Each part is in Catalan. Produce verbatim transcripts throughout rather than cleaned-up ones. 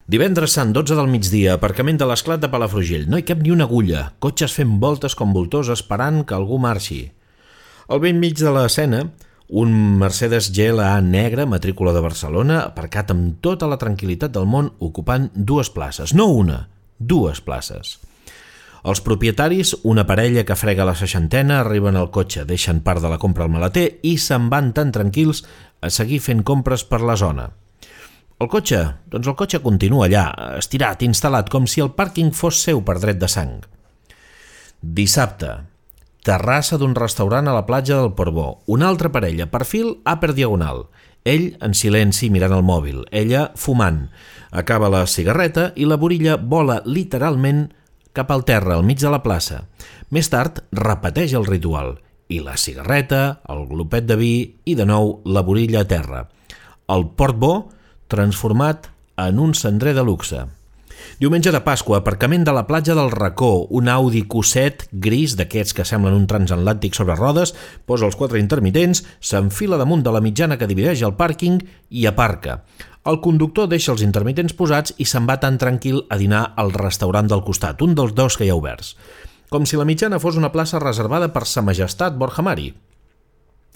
Divendres sant, dotze del migdia, aparcament de l'Esclat de Palafrugell. No hi cap ni una agulla, cotxes fent voltes com voltors esperant que algú marxi. Al vell mig de l'escena, un Mercedes G L A negre, matrícula de Barcelona, aparcat amb tota la tranquil·litat del món, ocupant dues places. No una, dues places. Els propietaris, una parella que frega la seixantena, arriben al cotxe, deixen part de la compra al maleter i se'n van tan tranquils a seguir fent compres per la zona. El cotxe? Doncs el cotxe continua allà, estirat, instal·lat, com si el pàrquing fos seu per dret de sang. Dissabte. Terrassa d'un restaurant a la platja del Portbó. Una altra parella, perfil upper diagonal. Ell en silenci mirant el mòbil, ella fumant. Acaba la cigarreta i la borilla vola literalment cap al terra, al mig de la plaça. Més tard repeteix el ritual. I la cigarreta, el glopet de vi i de nou la borilla a terra. El Portbó transformat en un cendrer de luxe. Diumenge de Pasqua, aparcament de la platja del Racó, un Audi Q set gris d'aquests que semblen un transatlàntic sobre rodes, posa els quatre intermitents, s'enfila damunt de la mitjana que divideix el pàrquing i aparca. El conductor deixa els intermitents posats i se'n va tan tranquil a dinar al restaurant del costat, un dels dos que hi ha oberts. Com si la mitjana fos una plaça reservada per Sa Majestat Borja Mari.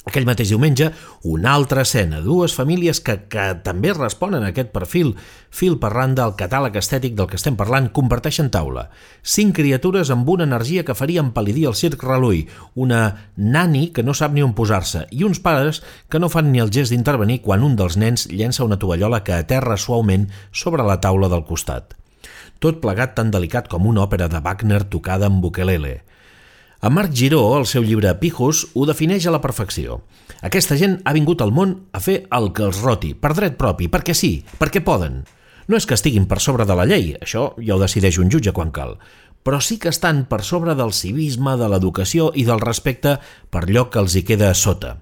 Aquell mateix diumenge, una altra escena, dues famílies que, que també responen a aquest perfil, fil per randa al catàleg estètic del que estem parlant, comparteixen taula. Cinc criatures amb una energia que faria empal·lidir el circ Reluí, una nani que no sap ni on posar-se i uns pares que no fan ni el gest d'intervenir quan un dels nens llença una tovallola que aterra suaument sobre la taula del costat. Tot plegat tan delicat com una òpera de Wagner tocada amb ukelele. En Marc Giró, al seu llibre Pijos, ho defineix a la perfecció. Aquesta gent ha vingut al món a fer el que els roti, per dret propi, perquè sí, perquè poden. No és que estiguin per sobre de la llei, això ja ho decideix un jutge quan cal, però sí que estan per sobre del civisme, de l'educació i del respecte per allò que els hi queda a sota.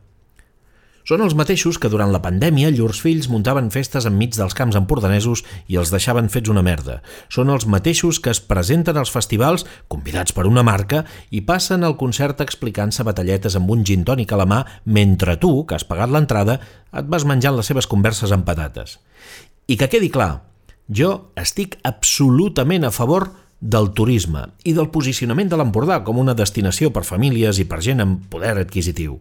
Són els mateixos que durant la pandèmia llurs fills muntaven festes enmig dels camps empordanesos i els deixaven fets una merda. Són els mateixos que es presenten als festivals, convidats per una marca, i passen al concert explicant-se batalletes amb un gin tònic a la mà mentre tu, que has pagat l'entrada, et vas menjant les seves converses amb patates. I que quedi clar, jo estic absolutament a favor del turisme i del posicionament de l'Empordà com una destinació per famílies i per gent amb poder adquisitiu.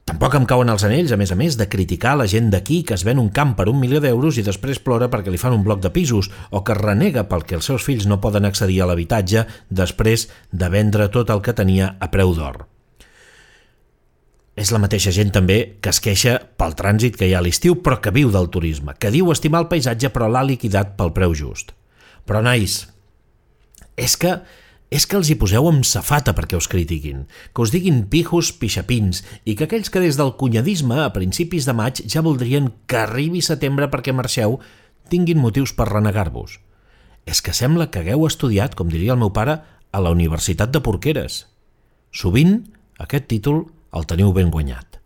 Tampoc em cauen els anells, a més a més, de criticar la gent d'aquí que es ven un camp per un milió d'euros i després plora perquè li fan un bloc de pisos o que renega pel que els seus fills no poden accedir a l'habitatge després de vendre tot el que tenia a preu d'or. És la mateixa gent també que es queixa pel trànsit que hi ha a l'estiu però que viu del turisme, que diu estimar el paisatge però l'ha liquidat pel preu just. Però, nois, és que... És que els hi poseu amb safata perquè us critiquin, que us diguin pijos pixapins i que aquells que des del cunyadisme a principis de maig ja voldrien que arribi setembre perquè marxeu tinguin motius per renegar-vos. És que sembla que hagueu estudiat, com diria el meu pare, a la Universitat de Porqueres. Sovint aquest títol el teniu ben guanyat.